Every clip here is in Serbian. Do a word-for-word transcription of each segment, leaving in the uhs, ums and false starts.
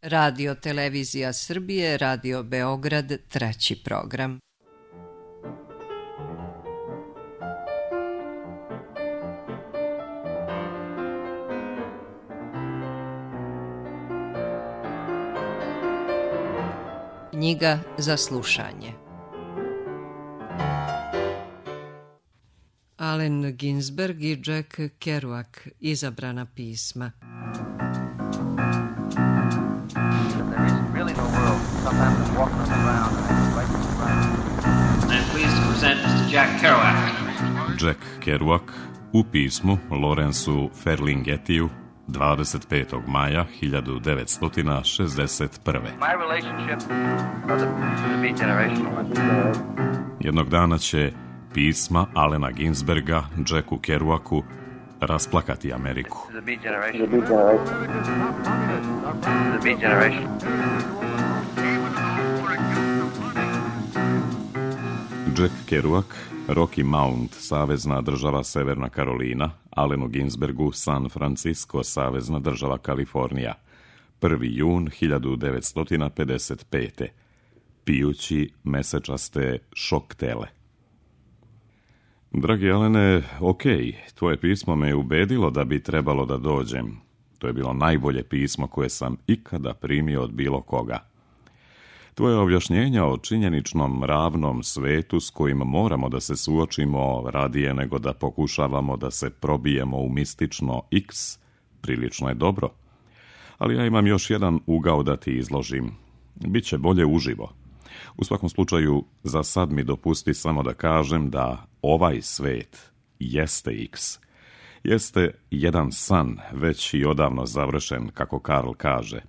Radio Televizija Srbije, Radio Beograd, treći program. Knjiga za slušanje. Allen Ginsberg i Jack Kerouac, izabrana pisma. Jack Kerouac u pismu Lawrenceu Ferlinghettiju dvadeset petog maja hiljadu devetsto šezdeset prve. Jednog dana će pisma Allena Ginsberga Jacku Kerouacu rasplakati Ameriku. Jack Kerouac, Rocky Mount, savezna država Severna Karolina, Allenu Ginsbergu, San Francisco, savezna država Kalifornija, prvi jun hiljadu devetsto pedeset pete. Pijući mesečaste šoktele. Dragi Alene, okej, tvoje pismo me je ubedilo da bi trebalo da dođem. To je bilo najbolje pismo koje sam ikada primio od bilo koga. Tvoje objašnjenja o činjeničnom ravnom svetu s kojim moramo da se suočimo radije nego da pokušavamo da se probijemo u mistično X, prilično je dobro. Ali ja imam još jedan ugao da ti izložim. Biće bolje uživo. U svakom slučaju, za sad mi dopusti samo da kažem da ovaj svet jeste X. Jeste jedan san, već i odavno završen, kako Karl kaže.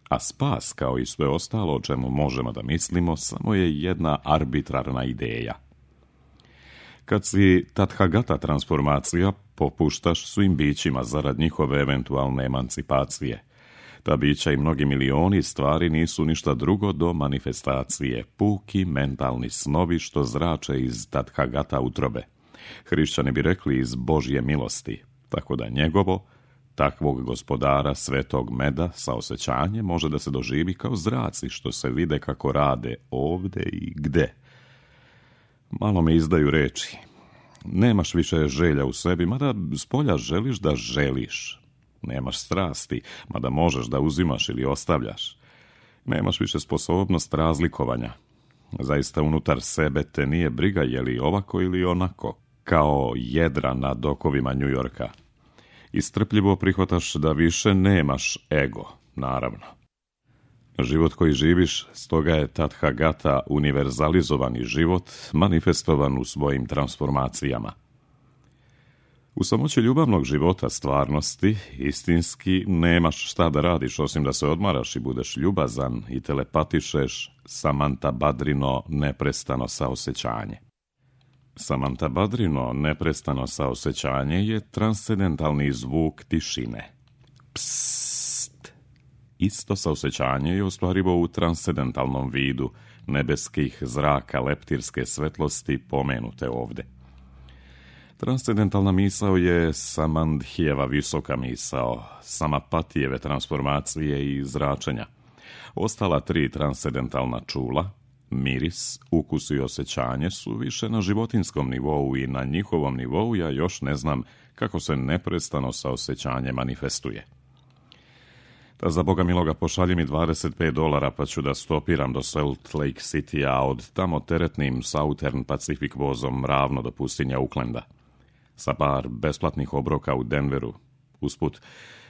A spas, kao i sve ostalo o čemu možemo da mislimo, samo je jedna arbitrarna ideja. Kad si Tathagata transformacija, popuštaš svim bićima zarad njihove eventualne emancipacije. Ta bića i mnogi milioni stvari nisu ništa drugo do manifestacije, puki mentalni snovi što zrače iz Tathagata utrobe. Hrišćani bi rekli iz Božje milosti, tako da njegovo, takvog gospodara svetog meda sa osjećanjem može da se doživi kao zraci što se vide kako rade ovde i gde. Malo me izdaju reči. Nemaš više želja u sebi, mada spolja želiš da želiš. Nemaš strasti, mada možeš da uzimaš ili ostavljaš. Nemaš više sposobnost razlikovanja. Zaista unutar sebe te nije briga je li ovako ili onako, kao jedra na dokovima Njujorka. I strpljivo prihvataš da više nemaš ego, naravno. Život koji živiš, stoga je Tathagata univerzalizovani život, manifestovan u svojim transformacijama. U samoći ljubavnog života stvarnosti, istinski, nemaš šta da radiš osim da se odmaraš i budeš ljubazan i telepatišeš Samantabhadrino neprestano saosećanje. Samantabhadrino neprestano saosećanje je transcendentalni zvuk tišine. Psst. Isto saosećanje je ostvarivo u transcendentalnom vidu nebeskih zraka leptirske svetlosti pomenute ovde. Transcendentalna misao je Samandhijeva visoka misao, Samapatijeve transformacije i zračenja. Ostala tri transcendentalna čula, miris, ukus i osjećanje su više na životinskom nivou i na njihovom nivou ja još ne znam kako se neprestano saosećanje manifestuje. Da za Boga miloga pošalji mi dvadeset pet dolara pa ću da stopiram do Salt Lake City, a od tamo teretnim Southern Pacific vozom ravno do pustinja Aucklanda. Sa par besplatnih obroka u Denveru, usput,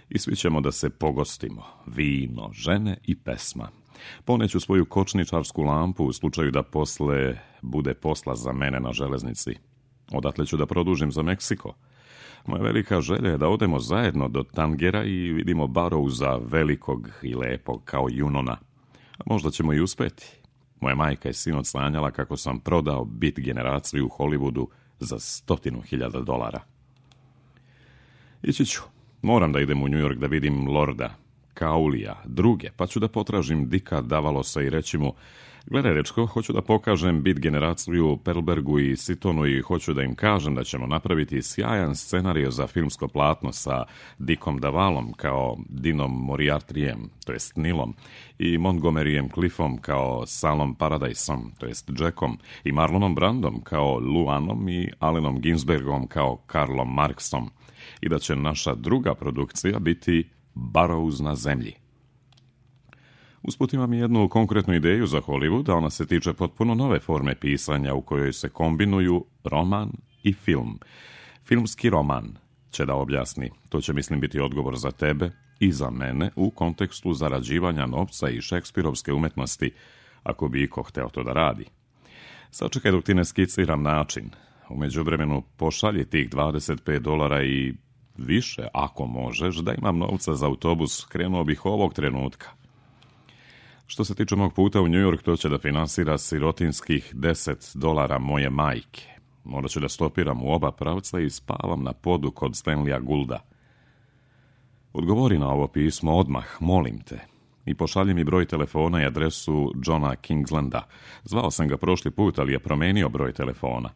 i svi ćemo da se pogostimo, vino, žene i pesma. Poneću svoju kočničarsku lampu u slučaju da posle bude posla za mene na železnici. Odatle ću da produžim za Meksiko. Moja velika želja je da odemo zajedno do Tangera i vidimo Barrowsa velikog i lepog kao Junona. A možda ćemo i uspeti. Moja majka je sinoć sanjala kako sam prodao Beat generaciju u Hollywoodu za stotinu hiljada dolara. Ići ću. Moram da idem u New York da vidim Lorda. Kaulija, druge, pa ću da potražim Dika Davalosa i reći mu: gledaj, dečko, hoću da pokažem bit generaciju Perlbergu i Sitonu i hoću da im kažem da ćemo napraviti sjajan scenario za filmsko platno sa Dickom Davalom kao Dinom Moriartyjem, to jest Nilom, i Montgomeryjem Cliffom kao Salom Paradiseom, to jest Jackom, i Marlonom Brandom kao Luanom i Allenom Ginsbergom kao Karlom Marksom, i da će naša druga produkcija biti Burroughs na zemlji. Usput imam jednu konkretnu ideju za Hollywood, a ona se tiče potpuno nove forme pisanja u kojoj se kombinuju roman i film. Filmski roman će da objasni. To će, mislim, biti odgovor za tebe i za mene u kontekstu zarađivanja novca i šekspirovske umetnosti, ako bi iko hteo to da radi. Sačekaj dok ti ne skiciram način. U međuvremenu pošalji tih dvadeset pet dolara i više, ako možeš, da imam novca za autobus, krenuo bih ovog trenutka. Što se tiče mog puta u New York, to će da finansira sirotinskih deset dolara moje majke. Morat ću da stopiram u oba pravca i spavam na podu kod Stanleya Goulda. Odgovori na ovo pismo odmah, molim te, i pošalji mi broj telefona i adresu Johna Kingslanda. Zvao sam ga prošli put, ali je promenio broj telefona.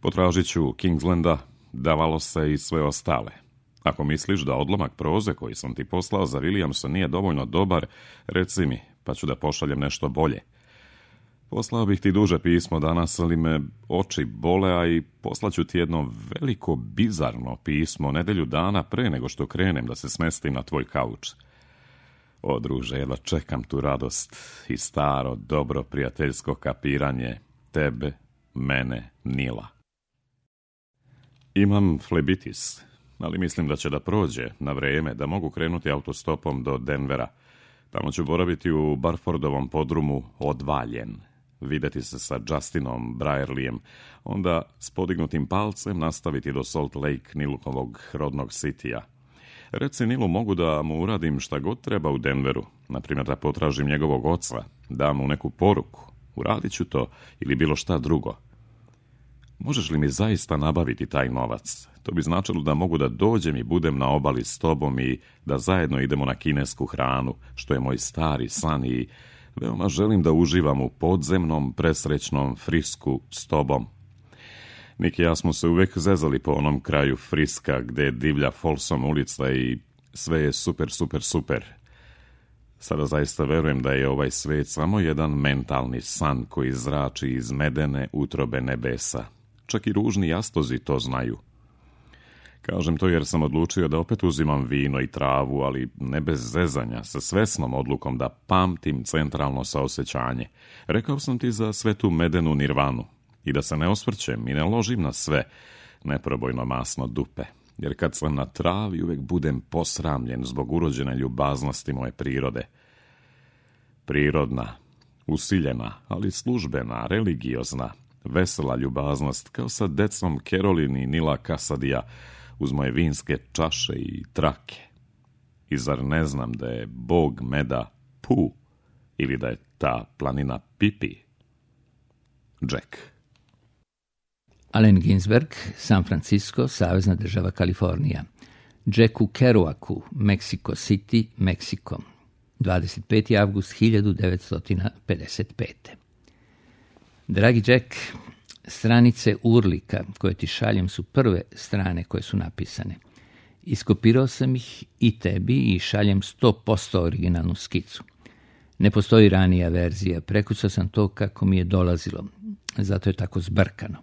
Potražit ću Kingslanda, Davalosa i sve ostale. Ako misliš da odlomak proze koji sam ti poslao za Williamsa nije dovoljno dobar, reci mi, pa ću da pošaljem nešto bolje. Poslao bih ti duže pismo danas, ali me oči bole, a i poslaću ti jedno veliko, bizarno pismo nedelju dana pre nego što krenem da se smestim na tvoj kauč. O, druže, jedva čekam tu radost i staro, dobro prijateljsko kapiranje tebe, mene, Nila. Imam flebitis, ali mislim da će da prođe na vreme, da mogu krenuti autostopom do Denvera. Tamo ću boraviti u Barfordovom podrumu Odvaljen, videti se sa Justinom Brierlijem, onda s podignutim palcem nastaviti do Salt Lake, Nilovog rodnog sitija. Reci Nilu, mogu da mu uradim šta god treba u Denveru, naprimjer da potražim njegovog oca, dam mu neku poruku, uradit ću to ili bilo šta drugo. Možeš li mi zaista nabaviti taj novac? To bi značilo da mogu da dođem i budem na obali s tobom i da zajedno idemo na kinesku hranu, što je moj stari san, i veoma želim da uživam u podzemnom, presrećnom Frisku s tobom. Nik i ja smo se uvek zezali po onom kraju Friska gde divlja Folsom ulica i sve je super, super, super. Sada zaista verujem da je ovaj svet samo jedan mentalni san koji zrači iz medene utrobe nebesa. Čak i ružni jastozi to znaju. Kažem to jer sam odlučio da opet uzimam vino i travu, ali ne bez zezanja, sa svesnom odlukom da pamtim centralno saosećanje. Rekao sam ti za sve tu medenu nirvanu i da se ne osvrćem i ne ložim na sve, neprobojno masno dupe. Jer kad sam na travi uvek budem posramljen zbog urođene ljubaznosti moje prirode. Prirodna, usiljena, ali službena, religiozna, vesela ljubaznost kao sa decom Kerolin i Nila Kasadija uz moje vinske čaše i trake. I zar ne znam da je bog meda Pu ili da je ta planina Pipi? Jack. Allen Ginsberg, San Francisco, Savezna država Kalifornija. Jacku Kerouacu, Mexico City, Meksiko. dvadeset peti avgust hiljadu devetsto pedeset pete. Dragi Jack, stranice Urlika koje ti šaljem su prve strane koje su napisane. Iskopirao sam ih i tebi i šaljem sto posto originalnu skicu. Ne postoji ranija verzija, prekucao sam to kako mi je dolazilo, zato je tako zbrkano.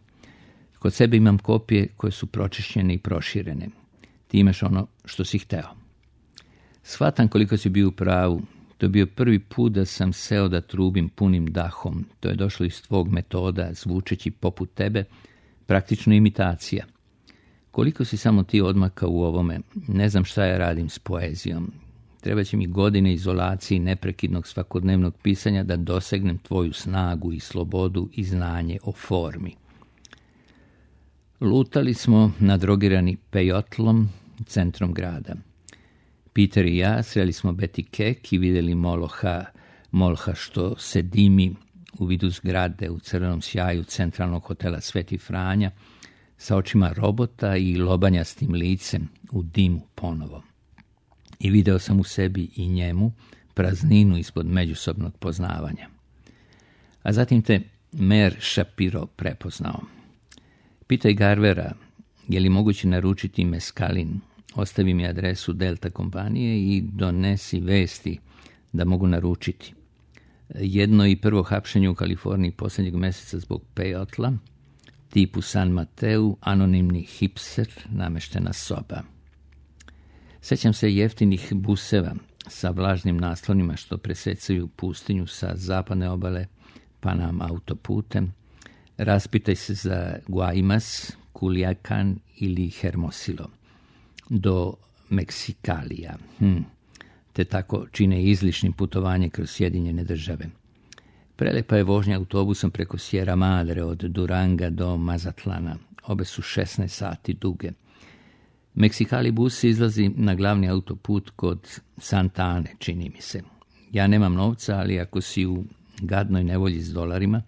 Kod sebe imam kopije koje su pročišćene i proširene. Ti imaš ono što si hteo. Shvatam koliko si bio u pravu. To je bio prvi put da sam seo da trubim punim dahom. To je došlo iz tvog metoda, zvučeći poput tebe, praktično imitacija. Koliko si samo ti odmakao u ovome, ne znam šta ja radim s poezijom. Treba će mi godine izolacije i neprekidnog svakodnevnog pisanja da dosegnem tvoju snagu i slobodu i znanje o formi. Lutali smo nadrogirani pejotlom, centrom grada. Peter i ja sreli smo Betty Keck i vidjeli Moloha, Molha što se dimi u vidu zgrade u crvenom sjaju centralnog hotela Sveti Franja sa očima robota i lobanjastim licem u dimu ponovo. i video sam u sebi i njemu prazninu ispod međusobnog poznavanja. A zatim te Mer Shapiro prepoznao. Pitaj Garvera, je li moguće naručiti meskalin? Ostavi mi adresu Delta kompanije i donesi vesti da mogu naručiti. Jedno i prvo hapšenje u Kaliforniji posljednjeg mjeseca zbog pejotla, tipu San Mateu, anonimni hipster, nameštena soba. Sjećam se jeftinih buseva sa vlažnim naslonima što presecaju pustinju sa zapadne obale Panam autoputem. Raspitaj se za Guaymas, Culiacan ili Hermosillo do Meksikalija, hm. te tako čine izlišnim putovanje kroz Sjedinjene države. Prelepa je vožnja autobusom preko Sierra Madre od Duranga do Mazatlana. Obe su šesnaest sati duge. Meksikali bus izlazi na glavni autoput kod Santa Ane, čini mi se. Ja nemam novca, ali ako si u gadnoj nevolji s dolarima,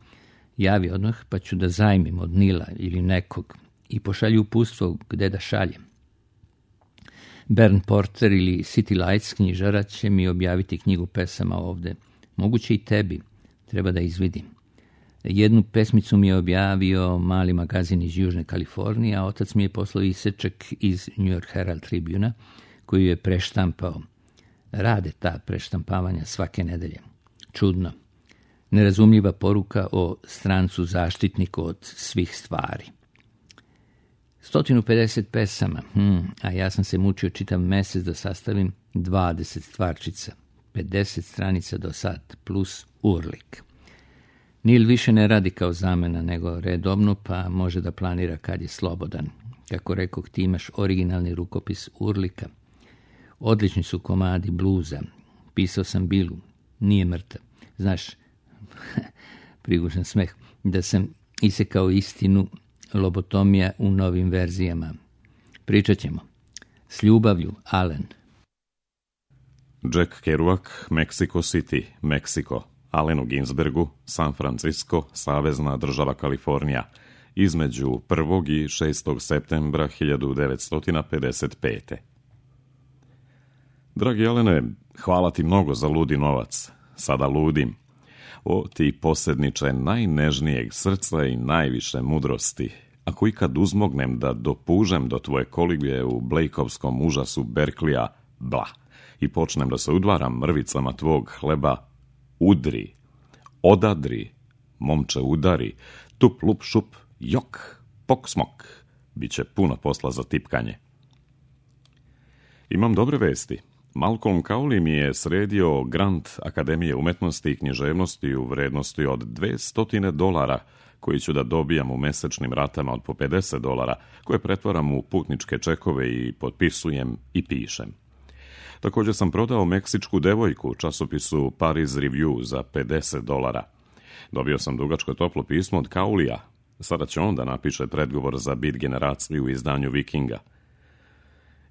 javi odmah pa ću da zajmim od Nila ili nekog i pošalju uputstvo gde da šaljem. Bern Porter ili City Lights knjižara će mi objaviti knjigu pesama ovde. Moguće i tebi, treba da izvidim. Jednu pesmicu mi je objavio mali magazin iz Južne Kalifornije, a otac mi je poslao isečak iz New York Herald Tribuna, koju je preštampao. Rade ta preštampavanja svake nedelje. Čudno. Nerazumljiva poruka o strancu zaštitniku od svih stvari. sto pedeset pesama, hm, a ja sam se mučio čitav mjesec da sastavim dvadeset stvarčica, pedeset stranica do sad, plus urlik. Nil više ne radi kao zamena, nego redobno, pa može da planira kad je slobodan. Kako rekoh, ti imaš originalni rukopis urlika. Odlični su komadi bluza. Pisao sam Bilu, nije mrtav. Znaš, prigužan smeh, da sam isekao istinu, lobotomija u novim verzijama. Pričat ćemo. S ljubavlju, Alen. Jack Kerouac, Mexico City, Meksiko. Alenu Ginsbergu, San Francisco, Savezna država Kalifornija, između prvog i šestog septembra hiljadu devetsto pedeset pete. Dragi Alene, hvala ti mnogo za ludi novac. Sada ludim. O ti posedniče najnežnijeg srca i najviše mudrosti, ako ikad uzmognem da dopužem do tvoje kolibije u Blakeovskom užasu Berklija, bla, i počnem da se udvaram mrvicama tvog hleba, udri, odadri, momče udari, tup lup šup, jok, pok smok, bit će puno posla za tipkanje. Imam dobre vesti. Malcolm Cowley mi je sredio grant Akademije umetnosti i književnosti u vrednosti od dvesta dolara, koji ću da dobijam u mesečnim ratama od po pedeset dolara, koje pretvaram u putničke čekove i potpisujem i pišem. Također sam prodao meksičku devojku u časopisu Paris Review za pedeset dolara. Dobio sam dugačko toplo pismo od Cowleya. Sada će on da napiše predgovor za Beat generaciju u izdanju Vikinga.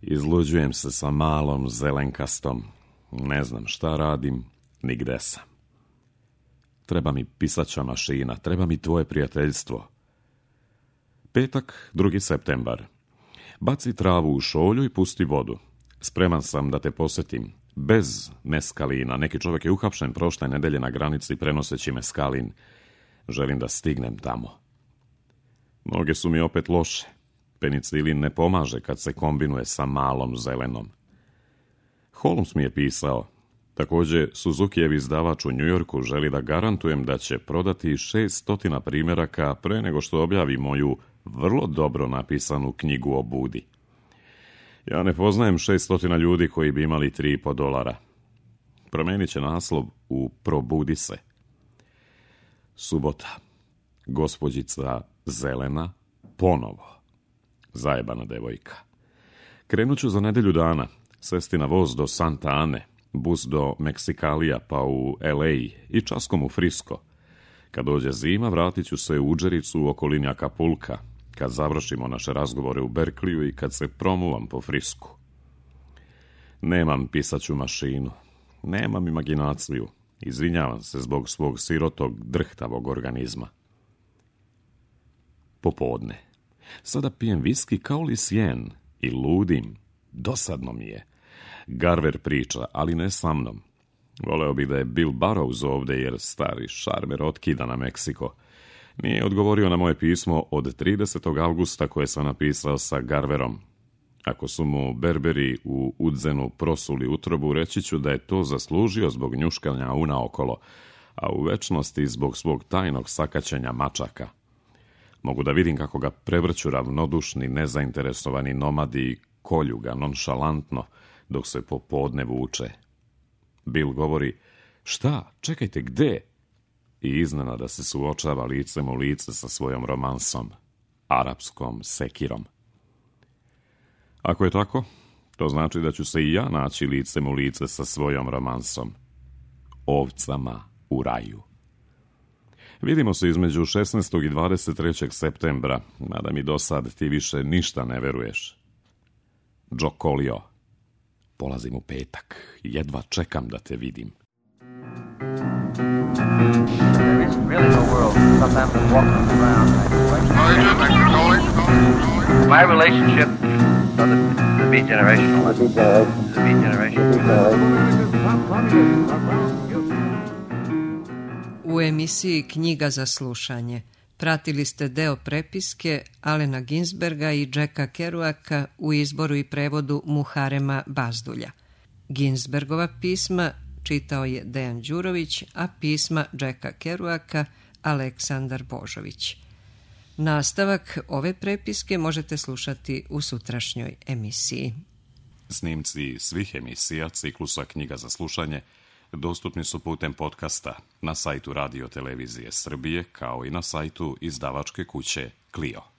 Izluđujem se sa malom zelenkastom. Ne znam šta radim, ni gde sam. Treba mi pisaća mašina, treba mi tvoje prijateljstvo. Petak, drugi septembar. Baci travu u šolju i pusti vodu. Spreman sam da te posjetim. Bez meskalina. Neki čovjek je uhapšen prošle nedelje na granici prenoseći meskalin. Želim da stignem tamo. Noge su mi opet loše. Penicilin ne pomaže kad se kombinuje sa malom zelenom. Holmes mi je pisao. Također, Suzukijev izdavač u Njujorku želi da garantujem da će prodati šesto primjeraka pre nego što objavi moju vrlo dobro napisanu knjigu o Budi. Ja ne poznajem šesto ljudi koji bi imali tri i po dolara. Promenit će naslov u Probudi se. Subota. Gospođica Zelena ponovo. Zajebana devojka. Krenut ću za nedelju dana. Sesti na voz do Santa Ane, bus do Meksikalija pa u el ej i časkom u Frisko. Kad dođe zima, vratit ću se u Udžericu u okolini Akapulka, kad završimo naše razgovore u Berkliju i kad se promuvam po Frisku. Nemam pisaću mašinu, nemam imaginaciju, izvinjavam se zbog svog sirotog, drhtavog organizma. Popodne. Sada pijem viski kao li sjen i ludim. Dosadno mi je. Garver priča, ali ne sa mnom. Voleo bih da je Bill Burrows ovde, jer stari šarmer otkida na Meksiko. Nije odgovorio na moje pismo od tridesetog avgusta koje sam napisao sa Garverom. Ako su mu berberi u Udzenu prosuli utrobu, reći ću da je to zaslužio zbog njuškanja unaokolo, a u večnosti zbog svog tajnog sakaćenja mačaka. Mogu da vidim kako ga prevrću ravnodušni, nezainteresovani nomadi i kolju ga nonšalantno dok se popodne vuče. Bill govori, šta, čekajte, gde? I iznenada se suočava licem u lice sa svojom romansom, arapskom sekirom. Ako je tako, to znači da ću se i ja naći licem u lice sa svojom romansom, ovcama u raju. Vidimo se između šesnaestog i dvadeset trećeg septembra, mada mi do sad ti više ništa ne veruješ. Joe Colio, polazim u petak, jedva čekam da te vidim. There is really no world. Sometimes I'm walking around like my relationship so the, the beat generational. The beat generation. U emisiji Knjiga za slušanje pratili ste deo prepiske Alena Ginsberga i Jacka Kerouaka u izboru i prevodu Muharema Bazdulja. Ginsbergova pisma čitao je Dejan Đurović, a pisma Jacka Kerouaka Aleksandar Božović. Nastavak ove prepiske možete slušati u sutrašnjoj emisiji. Snimci svih emisija ciklusa Knjiga za slušanje dostupni su putem podcasta na sajtu Radio Televizije Srbije, kao i na sajtu izdavačke kuće Clio.